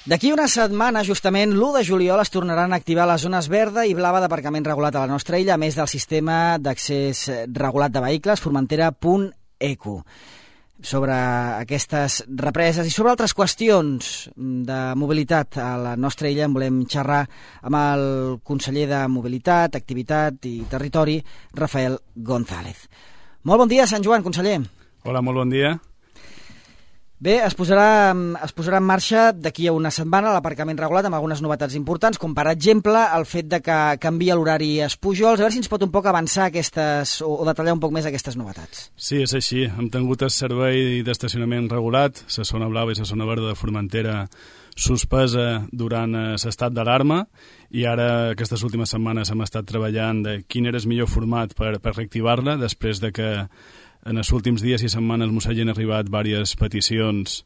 D'aquí una setmana, justament, l'1 de juliol es tornaran a activar les zones verda i blava d'aparcament regulat a la nostra illa, a més del sistema d'accés regulat de vehicles, Formentera.eco. Sobre aquestes represes i sobre altres qüestions de mobilitat a la nostra illa en volem xerrar amb el conseller de Mobilitat, Activitat i Territori, Rafael González. Molt bon dia, Sant Joan, conseller. Hola, molt bon dia. Bé, es posarà en marxa d'aquí a una setmana l'aparcament regulat amb algunes novetats importants, com per exemple el fet de que canvia l'horari a Pujols. A veure si ens pot un poc avançar aquestes o detallar un poc més aquestes novetats. Sí, és així. Hem tingut el servei d'estacionament regulat, la zona blava i la zona verda de Formentera suspesa durant l'estat d'alarma, i ara aquestes últimes setmanes hem estat treballant de quin era el millor format per reactivar-la, després de que en els últims dies i setmanes ens hagin arribat diverses peticions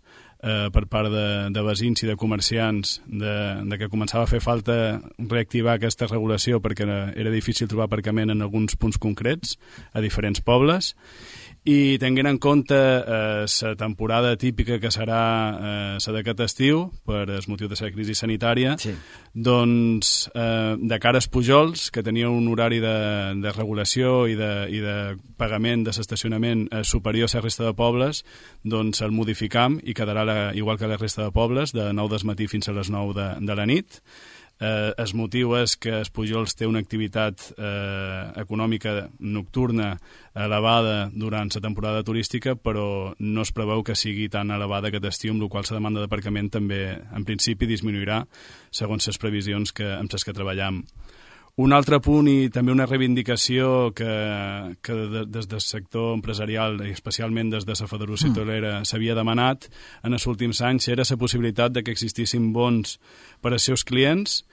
per part de veïns i de comerciants de que començava a fer falta reactivar aquesta regulació perquè era difícil trobar aparcament en alguns punts concrets a diferents pobles. I tenint en compte la temporada típica que serà la d'aquest estiu, per el motiu de la crisi sanitària, sí. Doncs de cara als Pujols, que tenia un horari de regulació i de pagament de l'estacionament superior a la resta de pobles, doncs el modificam i quedarà igual que la resta de pobles, de 9 del matí fins a les 9 de la nit. El motiu és que el Pujols té una activitat econòmica nocturna elevada durant la temporada turística, però no es preveu que sigui tan elevada aquest estiu, amb la qual la demanda d'aparcament també, en principi, disminuirà segons les previsions amb les que treballem. Un altre punt i també una reivindicació que des del sector empresarial i especialment des de la Federació Hotelera s'havia demanat en els últims anys era la possibilitat de que existissin bons per als seus clients,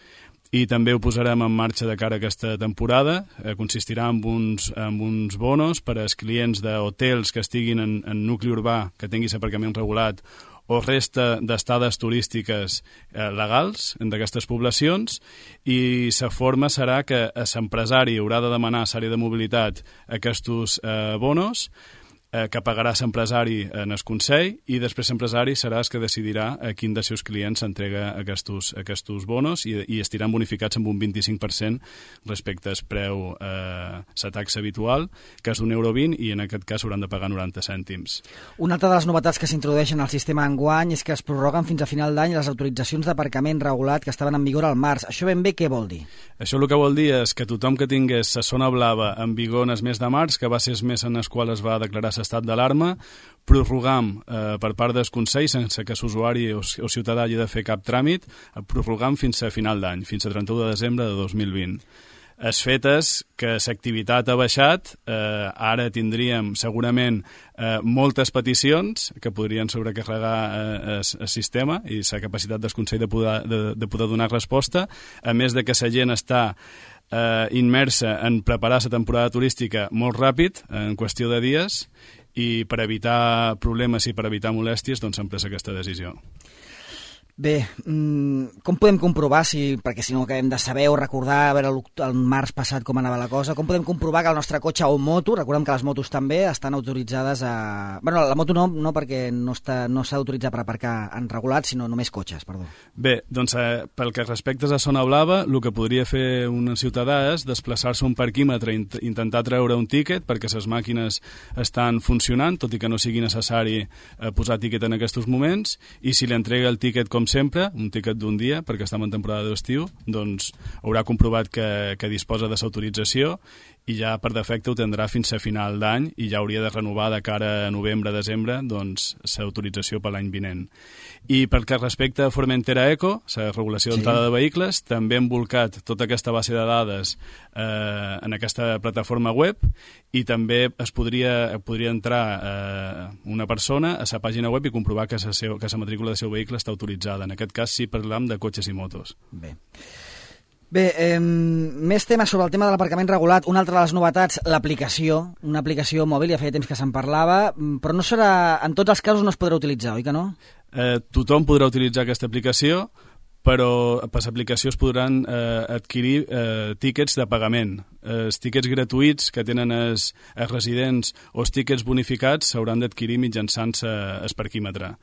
i també ho posarem en marxa de cara a aquesta temporada. Consistirà en uns bonos per als clients d'hotels que estiguin en nucli urbà, que tinguin l'aparcament regulat, o resta d'estades turístiques legals d'aquestes poblacions, i la forma serà que l'empresari haurà de demanar a l'àrea de mobilitat aquests bonos, que pagarà l'empresari en el Consell, i després l'empresari serà el que decidirà a quin dels seus clients s'entrega aquests bonos, i estiran bonificats amb un 25% respecte al preu, la taxa habitual, que és d'1,20 €, i en aquest cas hauran de pagar 90 cèntims. Una altra de les novetats que s'introdueixen al sistema enguany és que es prorroguen fins a final d'any les autoritzacions d'aparcament regulat que estaven en vigor al març. Això ben bé què vol dir? Això el que vol dir és que tothom que tingués la zona blava en vigor en el mes de març, que va ser el mes en el qual es va declarar l'estat d'alarma, prorrogam per part del Consell, sense que l'usuari o ciutadà hagi de fer cap tràmit, prorrogam fins a final d'any, fins a 31 de desembre de 2020. El fet és que l'activitat ha baixat, ara tindríem segurament moltes peticions que podrien sobrecarregar el sistema i la capacitat del Consell de poder donar resposta, a més de que la gent està immersa en preparar la temporada turística molt ràpid, en qüestió de dies, i per evitar problemes i per evitar molèsties, doncs s'ha pres aquesta decisió. Bé, com podem comprovar, perquè si no acabem de saber o recordar a veure el març passat com anava la cosa, com podem comprovar que el nostre cotxe o moto, recordem que les motos també estan autoritzades a... Bueno, la moto no perquè no s'ha d'autoritzar per aparcar en regulat, sinó només cotxes, perdó. Bé, doncs pel que respecta a zona blava, el que podria fer un ciutadà és desplaçar-se a un parquímetre i intentar treure un tíquet perquè les màquines estan funcionant, tot i que no sigui necessari posar tíquet en aquests moments, i si li entrega el tíquet com sempre, un tíquet d'un dia, perquè estem en temporada d'estiu, doncs haurà comprovat que disposa de l'autorització, i ja per defecte ho tindrà fins a final d'any, i ja hauria de renovar de cara a novembre-desembre doncs l'autorització per l'any vinent. I pel que respecta a Formentera.eco, la regulació d'entrada de vehicles, també hem volcat tota aquesta base de dades en aquesta plataforma web, i també podria entrar una persona a la pàgina web i comprovar que la matrícula del seu vehicle està autoritzada. En aquest cas sí parlam de cotxes i motos. Bé, més temes sobre el tema de l'aparcament regulat. Una altra de les novetats, l'aplicació, una aplicació mòbil, ja feia temps que se'n parlava, però no serà, en tots els casos no es podrà utilitzar, oi que no? Tothom podrà utilitzar aquesta aplicació, però per l'aplicació es podran adquirir tíquets de pagament. Els tíquets gratuïts que tenen els residents o els tíquets bonificats s'hauran d'adquirir mitjançant el parquímetre.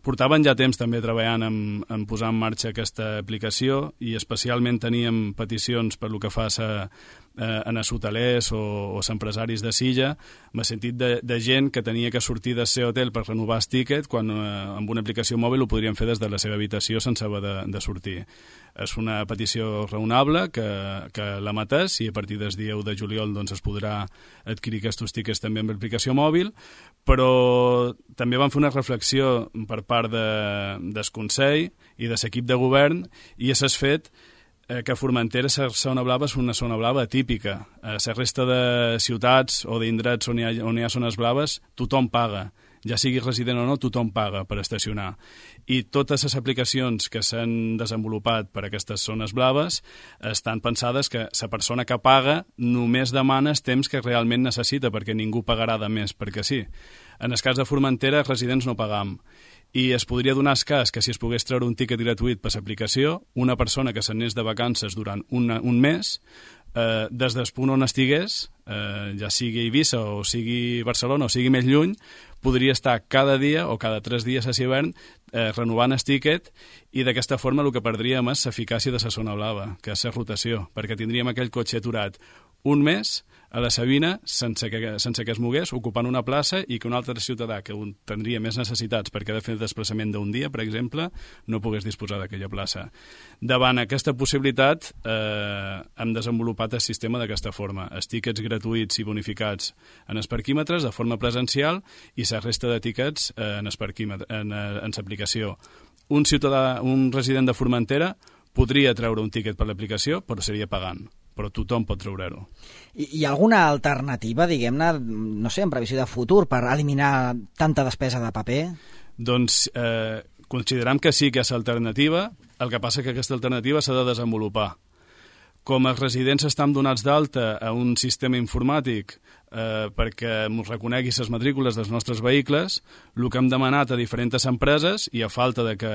Portaven ja temps també treballant en posar en marxa aquesta aplicació i especialment teníem peticions per lo que fa a hotelers o empresaris de Silla, en el sentit de gent que tenia que sortir del seu hotel per renovar el tiquet quan amb una aplicació mòbil ho podrien fer des de la seva habitació sense haver de sortir. És una petició raonable que la mateix i a partir del dia 1 de juliol doncs, es podrà adquirir aquests tiquets també amb l'aplicació mòbil, però també vam fer una reflexió per part del Consell i de l'equip de govern i s'ha fet que Formentera, la zona blava, és una zona blava atípica. A la resta de ciutats o d'indrets on hi ha zones blaves, tothom paga. Ja sigui resident o no, tothom paga per estacionar. I totes les aplicacions que s'han desenvolupat per a aquestes zones blaves estan pensades que la persona que paga només demana el temps que realment necessita, perquè ningú pagarà de més, perquè sí. En el cas de Formentera, els residents no pagam. I es podria donar el cas que si es pogués treure un tiquet gratuït per l'aplicació, una persona que s'anés de vacances durant un mes, des del punt on estigués, ja sigui Eivissa o sigui Barcelona o sigui més lluny, podria estar cada dia o cada 3 dies a l'hivern renovant el tiquet i d'aquesta forma el que perdríem és l'eficàcia de la zona blava, que és la rotació, perquè tindríem aquell cotxe aturat un mes a la Sabina sense que es mogués, ocupant una plaça i que un altre ciutadà que tindria més necessitats perquè ha de fer el desplaçament d'un dia, per exemple, no pogués disposar d'aquella plaça. Davant aquesta possibilitat hem desenvolupat el sistema d'aquesta forma. Els tiquets gratuïts i bonificats en els parquímetres de forma presencial i la resta de tiquets en l'aplicació. Un ciutadà, un resident de Formentera podria treure un tiquet per l'aplicació, però seria pagant. Però tothom pot treure-ho. Hi ha alguna alternativa, diguem-ne, no sé, en previsió de futur, per eliminar tanta despesa de paper? Doncs considerem que sí que és alternativa, el que passa que aquesta alternativa s'ha de desenvolupar. Com els residents estan donats d'alta a un sistema informàtic perquè ens reconegui les matrícules dels nostres vehicles, el que hem demanat a diferents empreses, i a falta de que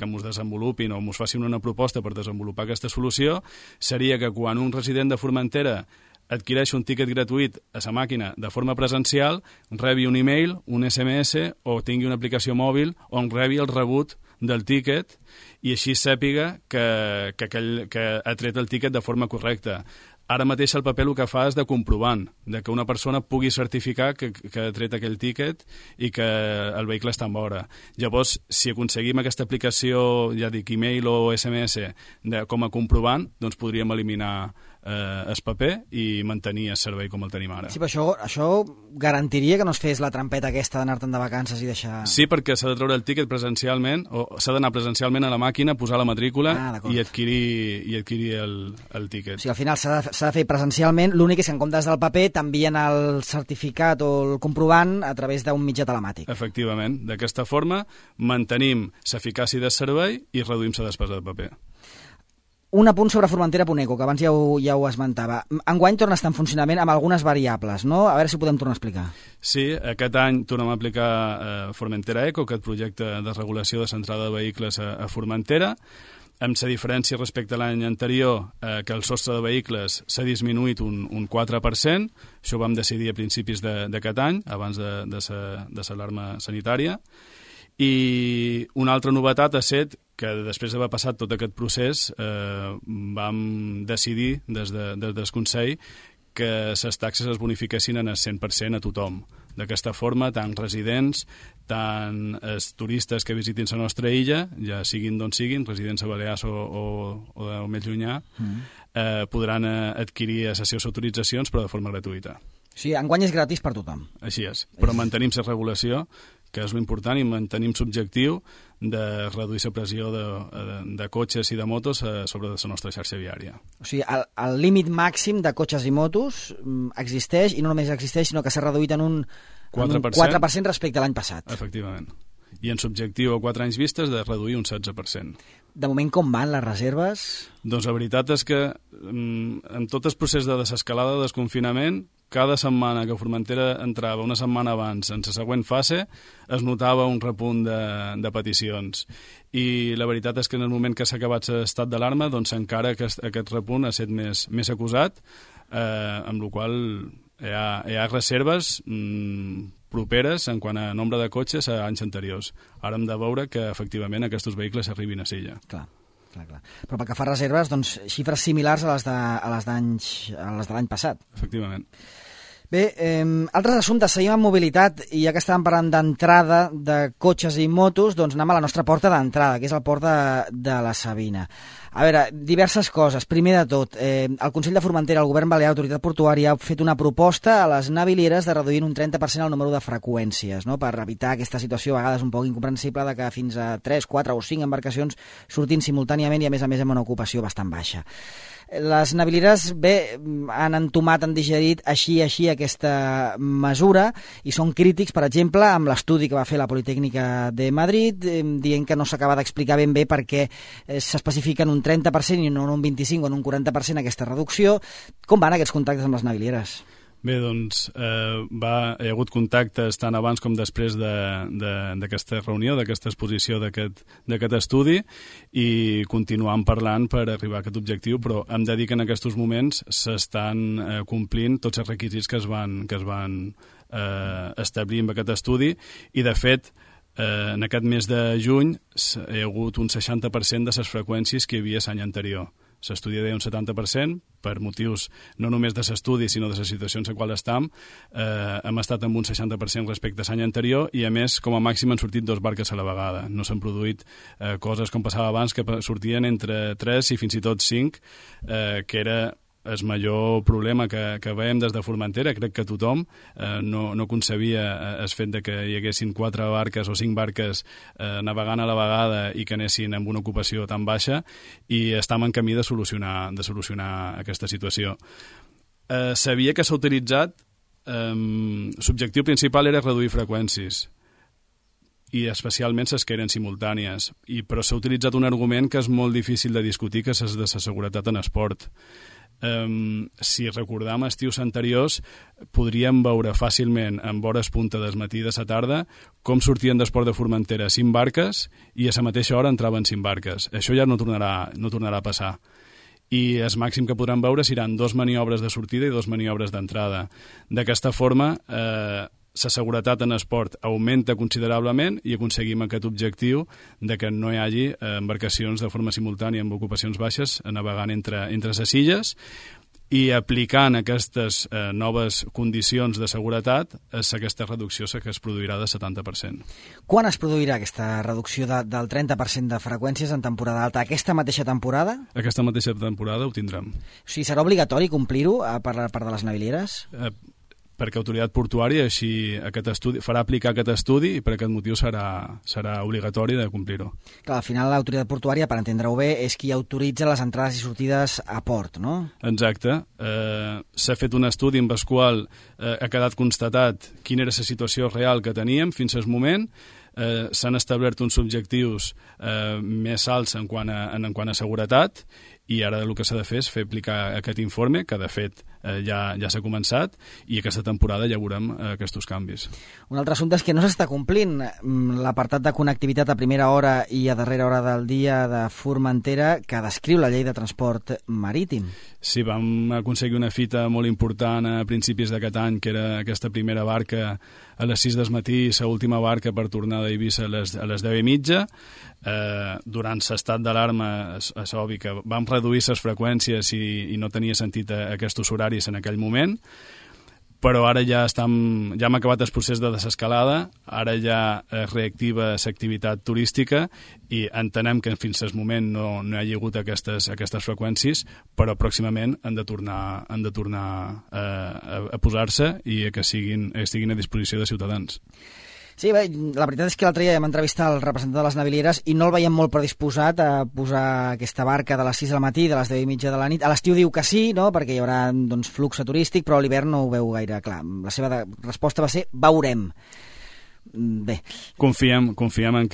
ens desenvolupin o ens facin una proposta per desenvolupar aquesta solució, seria que quan un resident de Formentera adquireix un tiquet gratuït a la màquina de forma presencial, rebi un e-mail, un SMS o tingui una aplicació mòbil on rebi el rebut del tiquet i així sàpiga que ha tret el tiquet de forma correcta. Ara mateix el paper el que fa és de comprovant, de que una persona pugui certificar que ha tret aquell tiquet i que el vehicle està en vora. Llavors, si aconseguim aquesta aplicació, ja dic, e-mail o SMS com a comprovant, doncs podríem eliminar el paper i mantenir el servei com el tenim ara. Sí, però això garantiria que no es fes la trampeta aquesta d'anar-te'n de vacances i deixar... Sí, perquè s'ha de treure el tiquet presencialment, o s'ha d'anar presencialment a la màquina, posar la matrícula i adquirir el tiquet. O sigui, al final s'ha de fer presencialment, l'únic és que en comptes del paper t'envien el certificat o el comprovant a través d'un mitjà telemàtic. Efectivament. D'aquesta forma mantenim l'eficàcia del servei i reduïm la despesa de paper. Un apunt sobre Formentera.eco, que abans ja ho esmentava. Enguany torna a estar en funcionament amb algunes variables, no? A veure si ho podem tornar a explicar. Sí, aquest any tornem a aplicar Formentera Eco, aquest projecte de regulació de l'entrada de vehicles a Formentera, amb la diferència respecte a l'any anterior, que el sostre de vehicles s'ha disminuït un 4%, això ho vam decidir a principis d'aquest any, abans de l'alarma sanitària, i una altra novetat ha estat que després d'haver passat tot aquest procés vam decidir des del Consell que les taxes es bonifiquessin en el 100% a tothom. D'aquesta forma, tant residents, tant els turistes que visitin la nostra illa, ja siguin d'on siguin, residents a Balears o més llunyà, podran adquirir les seves autoritzacions però de forma gratuïta. Sí, enguany és gratis per tothom. Així és, però mantenim la regulació, que és l'important, i mantenim l'objectiu de reduir la pressió de cotxes i de motos sobre la nostra xarxa viària. O sigui, el límit màxim de cotxes i motos existeix, i no només existeix, sinó que s'ha reduït en un 4% respecte a l'any passat. Efectivament. I en l'objectiu a 4 anys vistes de reduir un 16%. De moment, com van les reserves? Doncs la veritat és que en tot el procés de desescalada de desconfinament, cada setmana que Formentera entrava una setmana abans en la següent fase, es notava un repunt de peticions. I la veritat és que en el moment que s'ha acabat l'estat d'alarma, doncs encara aquest repunt ha estat més acusat, amb la qual hi ha reserves properes en quant a nombre de cotxes a anys anteriors. Ara hem de veure que efectivament aquests vehicles arribin a Silla. Clar. Però pel que fa a reserves, doncs, xifres similars a les de l'any passat. Efectivament. Bé, altres assumptes, seguim amb mobilitat, i ja que estàvem parlant d'entrada de cotxes i motos, doncs anem a la nostra porta d'entrada, que és el port de la Sabina. A veure, diverses coses. Primer de tot, el Consell de Formentera, el Govern Balear, Autoritat Portuària, ha fet una proposta a les navilieres de reduir un 30% el número de freqüències, no?, per evitar aquesta situació a vegades un poc incomprensible de que fins a 3, 4 o 5 embarcacions surtin simultàniament i a més amb una ocupació bastant baixa. Les navilieres, bé, han entomat, han digerit així aquesta mesura i són crítics, per exemple, amb l'estudi que va fer la Politècnica de Madrid, dient que no s'acaba d'explicar ben bé per què s'especifica en un 30% i no en un 25% o en un 40% aquesta reducció. Com van aquests contactes amb les navilieres? Bé, doncs hi ha hagut contactes tant abans com després d'aquesta reunió, d'aquesta exposició d'aquest estudi, i continuam parlant per arribar a aquest objectiu, però hem de dir que en aquests moments s'estan complint tots els requisits que es van establir amb aquest estudi, i de fet en aquest mes de juny hi ha hagut un 60% de les freqüències que hi havia l'any anterior. S'estudia deia un 70%, per motius no només de l'estudi, sinó de les situacions en qual estem. Hem estat amb un 60% respecte a l'any anterior, i a més, com a màxim, han sortit 2 barques a la vegada. No s'han produït coses com passava abans, que sortien entre 3 i fins i tot 5, que era el major problema que veiem des de Formentera. Crec que tothom no concebia el fet de que hi haguessin 4 barques o 5 barques navegant a la vegada i que anessin amb una ocupació tan baixa, i estem en camí de solucionar aquesta situació. Sabia que s'ha utilitzat, l'objectiu principal era reduir freqüències, i especialment les que eren simultànies, però s'ha utilitzat un argument que és molt difícil de discutir, que és de la seguretat en esport. Si recordam estius anteriors, podríem veure fàcilment en hores punta del matí de la tarda com sortien d'Esport de Formentera 5 barques i a la mateixa hora entraven 5 barques. Això ja no tornarà a passar. I el màxim que podran veure seran 2 maniobres de sortida i 2 maniobres d'entrada. D'aquesta forma, la seguretat en esport augmenta considerablement i aconseguim aquest objectiu de que no hi hagi embarcacions de forma simultània amb ocupacions baixes navegant entre les illes, i aplicant aquestes noves condicions de seguretat és aquesta reducció que es produirà de 70%. Quan es produirà aquesta reducció del 30% de freqüències en temporada alta? Aquesta mateixa temporada? Aquesta mateixa temporada ho tindrem. O sigui, serà obligatori complir-ho per part de les navilieres? Perquè Autoritat Portuària farà aplicar aquest estudi, i per aquest motiu serà obligatori de complir-ho. Clar, al final l'Autoritat Portuària, per entendre-ho bé, és qui autoritza les entrades i sortides a port, no? Exacte. S'ha fet un estudi en el qual ha quedat constatat quina era la situació real que teníem fins al moment. S'han establert uns objectius més alts en quant a seguretat, i ara el que s'ha de fer és fer aplicar aquest informe, que de fet ja s'ha començat, i aquesta temporada ja veurem aquests canvis. Un altre assumpte és que no s'està complint l'apartat de connectivitat a primera hora i a darrera hora del dia de Formentera que descriu la llei de transport marítim. Sí, vam aconseguir una fita molt important a principis d'aquest any, que era aquesta primera barca a les 6 del matí i l'última barca per tornar d'Eivissa a les 10:30. Durant l'estat d'alarma és obvi que vam reduir les freqüències i no tenia sentit aquests horaris en aquell moment, però ara ja hem acabat el procés de desescalada, ara ja es reactiva l'activitat turística i entenem que fins al moment no hi hagi hagut aquestes freqüències, però pròximament han de tornar a posar-se i que estiguin a disposició de ciutadans. Sí, bé, la veritat és que l'altre dia vam entrevistar el representant de les navilieres i no el veiem molt predisposat a posar aquesta barca de les 6 del matí, de les 10:30 de la nit. A l'estiu diu que sí, no?, perquè hi haurà flux turístic, però a l'hivern no ho veu gaire clar. La seva resposta va ser veurem. Bé. Confiem en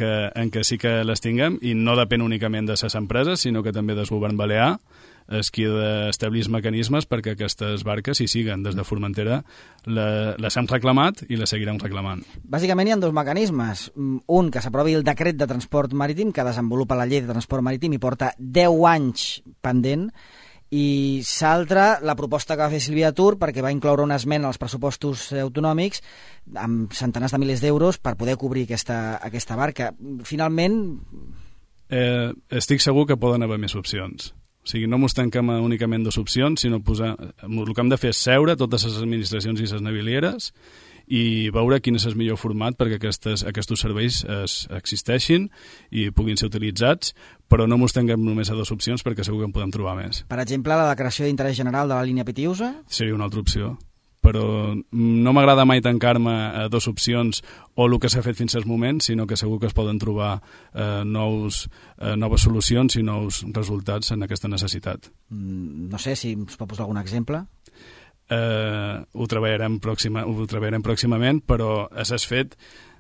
que sí que les tinguem, i no depèn únicament de les empreses, sinó que també del govern balear, és qui ha d'establir mecanismes perquè aquestes barques hi siguen. Des de Formentera les hem reclamat i les seguirem reclamant. Bàsicament hi ha 2 mecanismes. Un, que s'aprovi el decret de transport marítim que desenvolupa la llei de transport marítim i porta 10 anys pendent, i l'altra, la proposta que va fer Sílvia Tur, perquè va incloure una esmena als pressupostos autonòmics amb centenars de milers d'euros per poder cobrir aquesta barca. Finalment... Estic segur que poden haver més opcions. O sigui, no mos tanquem únicament dues opcions, sinó el que hem de fer és seure totes les administracions i les navilieres i veure quin és el millor format perquè aquests serveis existeixin i puguin ser utilitzats, però no mos tanquem només a dues opcions perquè segur que en podem trobar més. Per exemple, la declaració d'interès general de la línia Pitiusa? Seria una altra opció, però no m'agrada mai tancar-me a dues opcions o el que s'ha fet fins al moment, sinó que segur que es poden trobar noves solucions i nous resultats en aquesta necessitat. No sé si us pot posar algun exemple. Ho treballarem pròximament, però és fet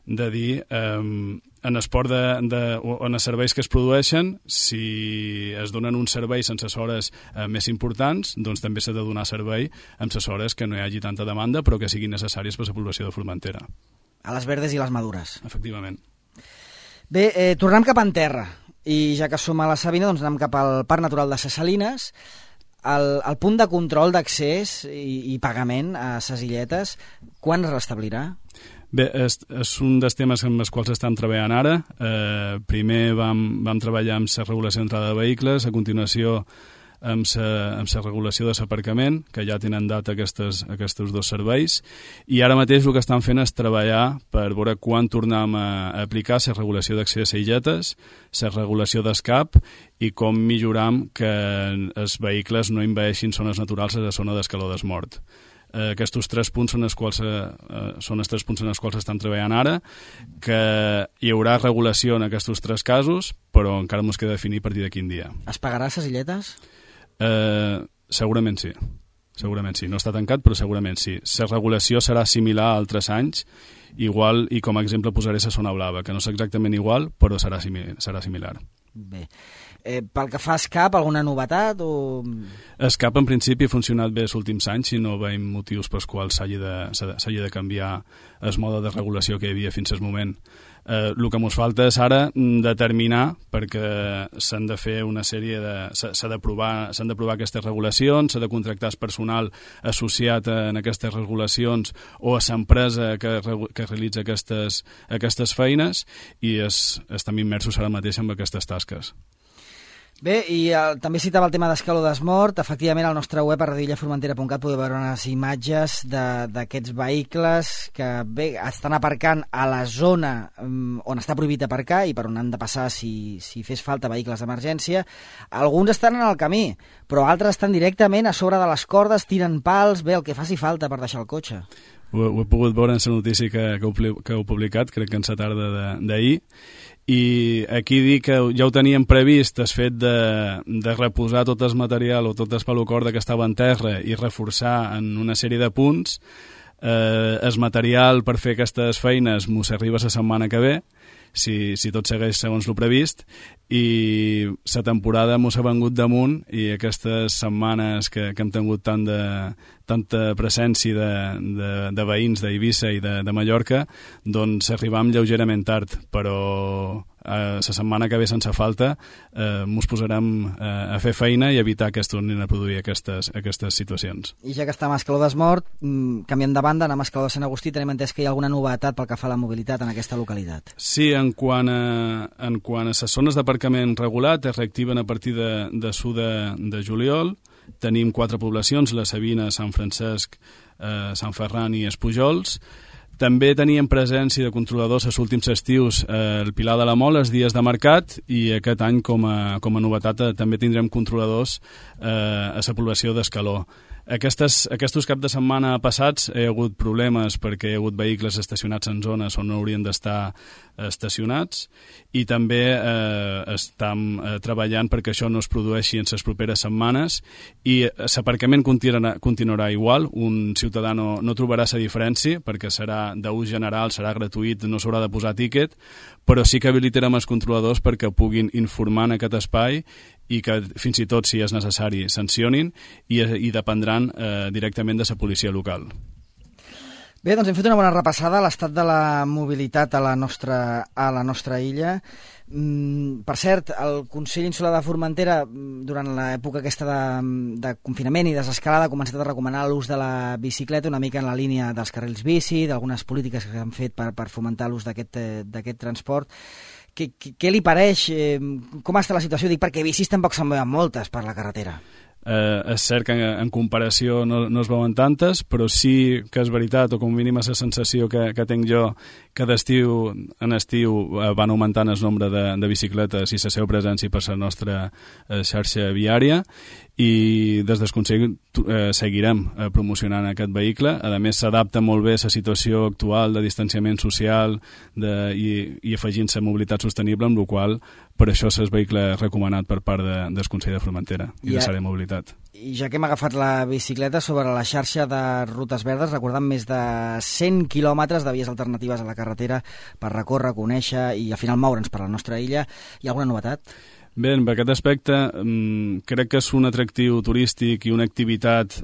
de dir en esport on els serveis que es produeixen, si es donen uns serveis en les hores més importants, doncs també s'ha de donar servei en les hores que no hi hagi tanta demanda però que siguin necessàries per a la població de Formentera. A les verdes i les madures. Efectivament. Bé, tornem cap en terra i ja que som a la Sabina, doncs anem cap al Parc Natural de Ses Salines. El punt de control d'accés i pagament a ses illetes, quan es restablirà? Bé, és un dels temes amb els quals estem treballant ara. Primer vam treballar amb la regulació d'entrada de vehicles, a continuació amb la regulació de l'aparcament, que ja tenen data aquests dos serveis, i ara mateix el que estan fent és treballar per veure quan tornem a aplicar la regulació d'accés a illetes, la regulació d'escap i com milloram que els vehicles no envaeixin zones naturals a la zona d'escaló desmort. Aquests 3 punts són els tres punts en els quals estan treballant ara, que hi haurà regulació en aquests 3 casos, però encara ens queda definir a partir de quin dia. Es pagarà les illetes? Segurament sí. Segurament sí. No està tancat, però segurament sí. La regulació serà similar a altres anys, igual, i com a exemple posaré la zona blava, que no és exactament igual, però serà similar. Bé. Pel que fa a escap, alguna novetat? Escap, en principi, ha funcionat bé els últims anys i no veiem motius pels quals s'hagi de canviar el mode de regulació que hi havia fins al moment. El que ens falta és ara determinar, perquè s'han de fer una sèrie s'han d'aprovar aquestes regulacions, s'ha de contractar el personal associat en aquestes regulacions o a l'empresa que realitza aquestes feines i estem immersos ara mateix en aquestes tasques. Bé, i també citava el tema d'escaló desmort. Efectivament, al nostre web a radillaformentera.cat podeu veure unes imatges d'aquests vehicles que bé, estan aparcant a la zona on està prohibit aparcar i per on han de passar si fes falta vehicles d'emergència. Alguns estan en el camí, però altres estan directament a sobre de les cordes, tiren pals, bé, el que faci falta per deixar el cotxe. Ho he pogut veure en la notícia que heu publicat, crec que en la tarda d'ahir, i aquí dic que ja ho teníem previst, el fet de reposar tot el material o tot el pelocorda que estava en terra i reforçar en una sèrie de punts. El material per fer aquestes feines mos arriba la setmana que ve, si tot segueix segons el previst, i la temporada mos ha vengut damunt i aquestes setmanes que hem tingut tanta presència de veïns d'Eivissa i de Mallorca, doncs arribam lleugerament tard, però la setmana que ve sense falta mos posarem a fer feina i evitar que es tornin a produir aquestes situacions. I ja que estem a Escaló desmort, canviem de banda, anem a Escaló de Sant Agustí, tenim entès que hi ha alguna novetat pel que fa a la mobilitat en aquesta localitat. Sí, en quant a les zones d'aparcament regulat, es reactiven a partir de 1 de juliol. Tenim 4 poblacions, la Sabina, Sant Francesc, Sant Ferran i Espujols. També teníem presència de controladors els últims estius al Pilar de la Mola, els dies de mercat, i aquest any, com a novetat, també tindrem controladors a la població d'Escaló. Aquests caps de setmana passats hi ha hagut problemes perquè hi ha hagut vehicles estacionats en zones on no haurien d'estar estacionats i també estem treballant perquè això no es produeixi en les properes setmanes i l'aparcament continuarà igual. Un ciutadà no trobarà la diferència perquè serà d'ús general, serà gratuït, no s'haurà de posar tíquet, però sí que habilitarem els controladors perquè puguin informar en aquest espai i que fins i tot, si és necessari, sancionin i dependran directament de la policia local. Bé, doncs hem fet una bona repassada a l'estat de la mobilitat a la nostra illa. Per cert, el Consell Insular de Formentera, durant l'època aquesta de confinament i desescalada, ha començat a recomanar l'ús de la bicicleta una mica en la línia dels carrils bici, d'algunes polítiques que s'han fet per fomentar l'ús d'aquest transport. Què li pareix? Com està la situació? Dic perquè bicis tampoc se'n veuen moltes per la carretera. És cert que en comparació no es veuen tantes, però sí que és veritat, o com a mínim és la sensació que tinc jo, que en estiu van augmentant el nombre de bicicletes i la seva presència per la nostra xarxa viària, i des del Consell seguirem promocionant aquest vehicle. A més, s'adapta molt bé a la situació actual de distanciament social i afegint-se mobilitat sostenible, amb la qual per això és el vehicle recomanat per part del Consell de Formentera i de l'àrea de mobilitat. I ja que hem agafat la bicicleta, sobre la xarxa de rutes verdes, recordant més de 100 quilòmetres de vies alternatives a la carretera per recórrer, conèixer i al final moure'ns per la nostra illa. Hi ha alguna novetat? Bé, en aquest aspecte crec que és un atractiu turístic i una activitat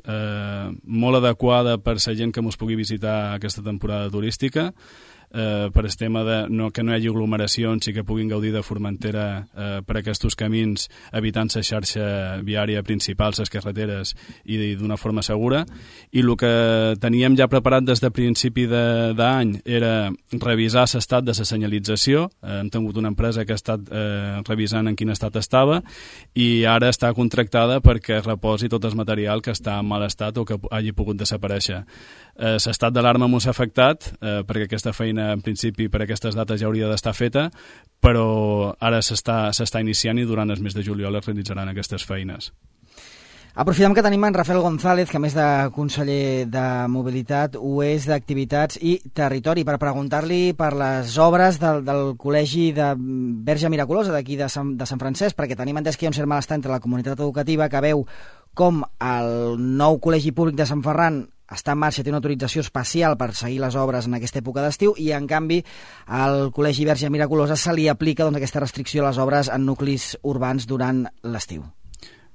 molt adequada per la gent que ens pugui visitar aquesta temporada turística, per el tema que no hi hagi aglomeracions i que puguin gaudir de Formentera per aquests camins, evitant la xarxa viària principal, les carreteres, i d'una forma segura. I el que teníem ja preparat des de principi d'any era revisar l'estat de la senyalització. Hem tingut una empresa que ha estat revisant en quin estat estava i ara està contractada perquè reposi tot el material que està en mal estat o que hagi pogut desaparèixer. L'estat d'alarma m'ho ha afectat perquè aquesta feina en principi per aquestes dates ja hauria d'estar feta, però ara s'està iniciant i durant el mes de juliol es realitzaran aquestes feines. Aprofitem que tenim en Rafael González, que a més de conseller de Mobilitat ho és d'Activitats i Territori, per preguntar-li per les obres del Col·legi de Verge Miraculosa d'aquí de Sant Francesc, perquè tenim entès que hi ha un cert malestar entre la comunitat educativa que veu com el nou Col·legi Públic de Sant Ferran està en marxa, té una autorització especial per seguir les obres en aquesta època d'estiu, i en canvi al Col·legi Verge Miraculosa se li aplica aquesta restricció a les obres en nuclis urbans durant l'estiu.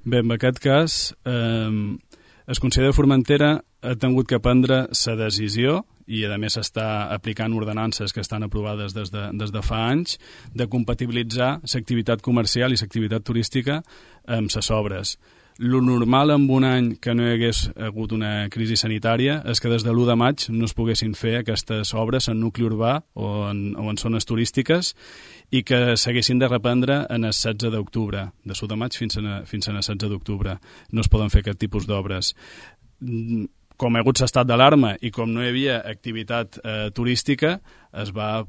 Bé, en aquest cas, el Consell de Formentera ha tingut que prendre la decisió, i a més està aplicant ordenances que estan aprovades des de fa anys, de compatibilitzar l'activitat comercial i l'activitat turística amb les obres. Lo normal en un any que no hi hagués hagut una crisi sanitària és que des de l'1 de maig no es poguessin fer aquestes obres en nucli urbà o en zones turístiques i que s'haguessin de reprendre en el 16 d'octubre, de l'1 de maig fins a el 16 d'octubre. No es poden fer aquest tipus d'obres. Com hi ha hagut l'estat d'alarma i com no hi havia activitat turística, es va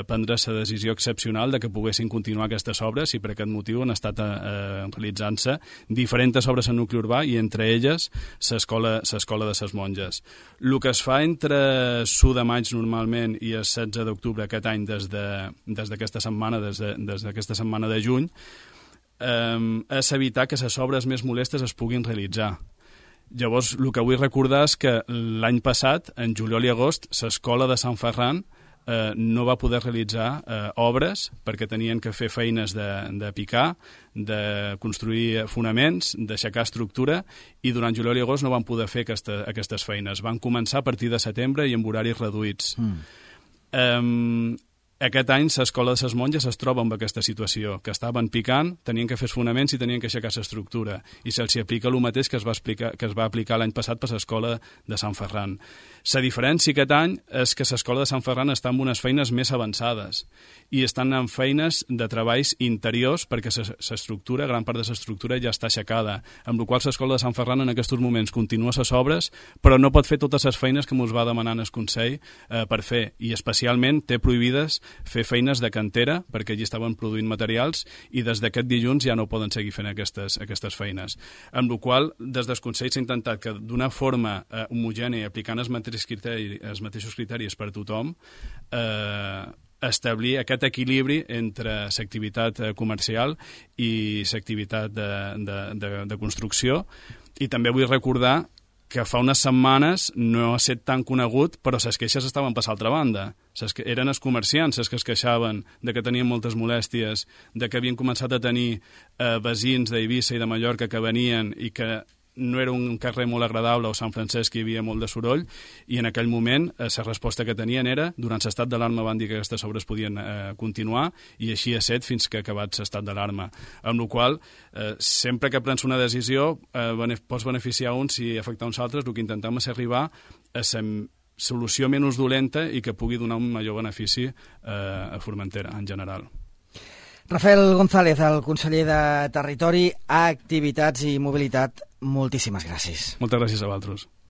prendre la decisió excepcional de que poguessin continuar aquestes obres, i per aquest motiu han estat realitzant-se diferents obres en nucli urbà, i entre elles l'escola de les monges. El que es fa entre l'1 de maig normalment i el 16 d'octubre aquest any, des d'aquesta setmana, des d'aquesta setmana de juny, és evitar que les obres més molestes es puguin realitzar. Llavors, el que vull recordar és que l'any passat, en juliol i agost, l'escola de Sant Ferran no va poder realitzar obres perquè tenien que fer feines de picar, de construir fonaments, d'aixecar estructura, i durant juliol i agost no van poder fer aquestes feines. Van començar a partir de setembre i amb horaris reduïts. Aquest any l'escola de les monges es troba en aquesta situació, que estaven picant, tenien que fer els fonaments i tenien que aixecar l'estructura, i se'ls aplica el mateix que es va aplicar l'any passat per l'escola de Sant Ferran. La diferència aquest any és que l'escola de Sant Ferran està en unes feines més avançades i estan en feines de treballs interiors perquè l'estructura, gran part de l'estructura ja està aixecada, amb la qual l'escola de Sant Ferran en aquests moments continua les obres, però no pot fer totes les feines que ens va demanar el Consell per fer, i especialment té prohibides fer feines de cantera perquè allí estaven produint materials, i des d'aquest dilluns ja no poden seguir fent aquestes feines. Amb la qual des del Consell s'ha intentat que d'una forma homogènia, aplicant els mateixos criteris per a tothom, establir aquest equilibri entre l'activitat comercial i l'activitat de construcció. I també vull recordar que fa unes setmanes no ha estat tan conegut, però les queixes estaven per l'altra banda. Eren els comerciants els que es queixaven de que tenien moltes molèsties, de que havien començat a tenir veïns d'Eivissa i de Mallorca que venien i que no era un carrer molt agradable, o Sant Francesc hi havia molt de soroll, i en aquell moment la resposta que tenien era, durant l'estat d'alarma van dir que aquestes obres podien continuar, i així ha set fins que ha acabat l'estat d'alarma. Amb la qual sempre que prens una decisió pots beneficiar uns i afectar uns altres. El que intentem és arribar a la solució menys dolenta i que pugui donar un major benefici a Formentera en general. Rafael González, el conseller de Territori, Activitats i Mobilitat, moltíssimes gràcies. Moltes gràcies a vosaltres.